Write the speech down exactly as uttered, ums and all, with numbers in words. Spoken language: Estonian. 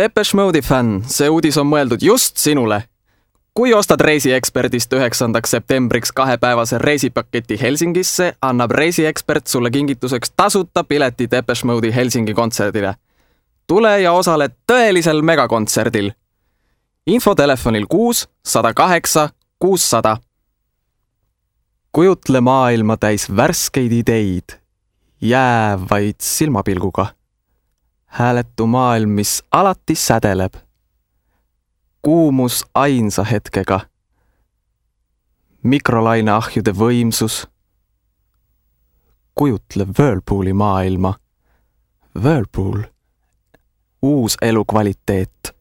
Depeche Mode'i fänn, see uudis on mõeldud just sinule. Kui ostad reisieksperdist üheksandaks septembriks kahepäevase reisipaketi Helsingisse, annab reisiekspert sulle kingituseks tasuta pileti Depeche Mode'i Helsingi kontserdile. Tule ja osale tõelisel megakontserdil. Info telefonil kuus sada kaheksa kuussada. Kujutle maailma täis värskeid ideid, jäävaid silmapilguga. Hääletu maailm, mis alati sädeleb. Kuumus ainsa hetkega. Mikrolaineahjude võimsus. Kujutle Whirlpooli maailma. Whirlpool. Uus elukvaliteet.